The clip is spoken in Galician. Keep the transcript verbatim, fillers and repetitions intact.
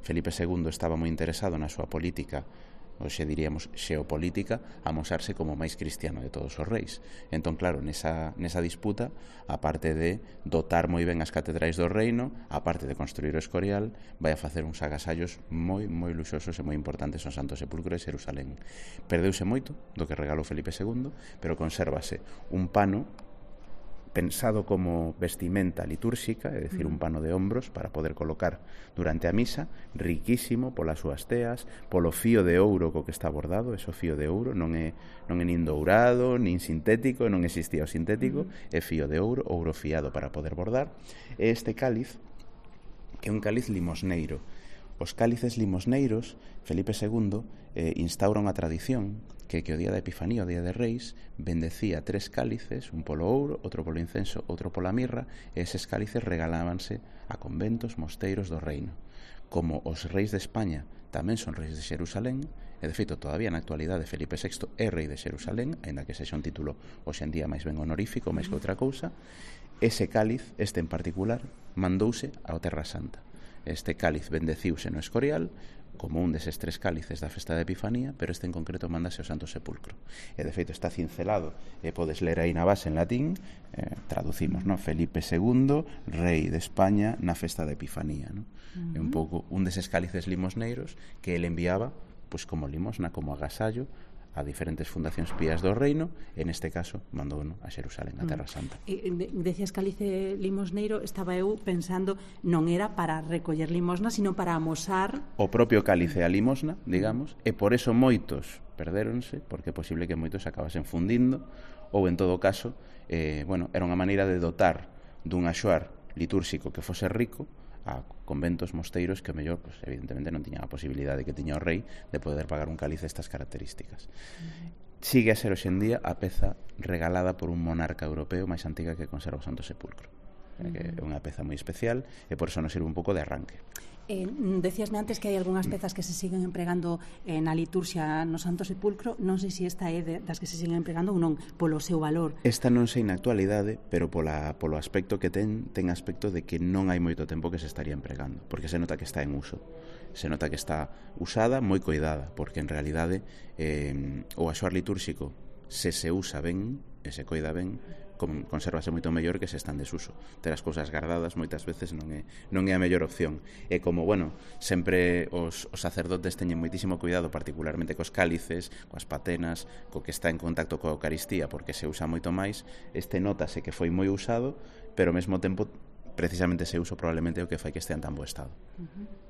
Felipe segundo estaba moi interesado na súa política, hoxe diríamos xeopolítica, a mosarse como o máis cristiano de todos os reis. Entón, claro, nesa, nesa disputa, aparte de dotar moi ben as catedrais do reino, aparte de construir o Escorial, vai a facer uns agasallos moi, moi luxosos e moi importantes ao Santo Sepulcro de Xerusalén. Perdeuse moito do que regalou Felipe segundo, pero consérvase un pano pensado como vestimenta litúrxica, é dicir, un pano de hombros para poder colocar durante a misa, riquísimo polas súas teas, polo fío de ouro co que está bordado, eso fío de ouro, non é, non é nin dourado, nin sintético, non existía o sintético, é fío de ouro, ouro fiado para poder bordar. E este cáliz, que é un cáliz limosneiro. Os cálices limosneiros, Felipe segundo eh, instaura unha tradición que, que o día da Epifanía, o día de Reis, bendecía tres cálices, un polo ouro, outro polo incenso, outro pola mirra, e eses cálices regalábanse a conventos, mosteiros do reino. Como os reis de España tamén son reis de Xerusalén, e de feito todavía na actualidade Felipe sexto é rei de Xerusalén, aínda que sexa un título hoxe en día máis ben honorífico, máis que outra cousa, ese cáliz, este en particular, mandouse ao Terra Santa. Este cáliz bendeciuse no Escorial como un deses tres cálices da festa da Epifanía, pero este en concreto mándase ao Santo Sepulcro. E de feito está cincelado, e podes ler aí na base en latín, eh, traducimos, no? Felipe segundo, rei de España na festa da Epifanía, no? Uh-huh. É un pouco un deses cálices limosneiros que ele enviaba pois como limosna, como agasallo a diferentes fundacións pías do reino, e neste caso mandou a Xerusalén, a Terra Santa. E, decías cálice limosneiro, estaba eu pensando, non era para recoller limosna, sino para amosar o propio cálice a limosna, digamos, e por eso moitos perdéronse, porque é posible que moitos acabasen fundindo, ou en todo caso, eh, bueno, era unha maneira de dotar dun axoar litúrxico que fose rico a conventos, mosteiros que o mellor, pues, evidentemente non tiñan a posibilidade que tiña o rei de poder pagar un cálice estas características. Uh-huh. Sigue a ser hoxe en día a peza regalada por un monarca europeo máis antiga que conserva o Santo Sepulcro. Uh-huh. Que é unha peza moi especial e por eso nos sirve un pouco de arranque. Eh, decíasme antes que hai algunhas pezas que se siguen empregando eh, na liturxia no Santo Sepulcro. Non sei se esta é de, das que se siguen empregando ou non, polo seu valor. Esta non sei na actualidade, pero pola, polo aspecto que ten, ten aspecto de que non hai moito tempo que se estaría empregando, porque se nota que está en uso. Se nota que está usada, moi coidada, porque en realidade eh, o axoar litúrxico, se se usa ben e se coida ben, consérvase moito mellor que se está en desuso. Ter as cousas guardadas moitas veces non é, non é a mellor opción. E como, bueno, sempre os, os sacerdotes teñen moitísimo cuidado, particularmente cos cálices, coas patenas, co que está en contacto coa Eucaristía, porque se usa moito máis, este notase que foi moi usado, pero ao mesmo tempo, precisamente ese uso probablemente é o que fai que estea en tan bo estado. Uh-huh.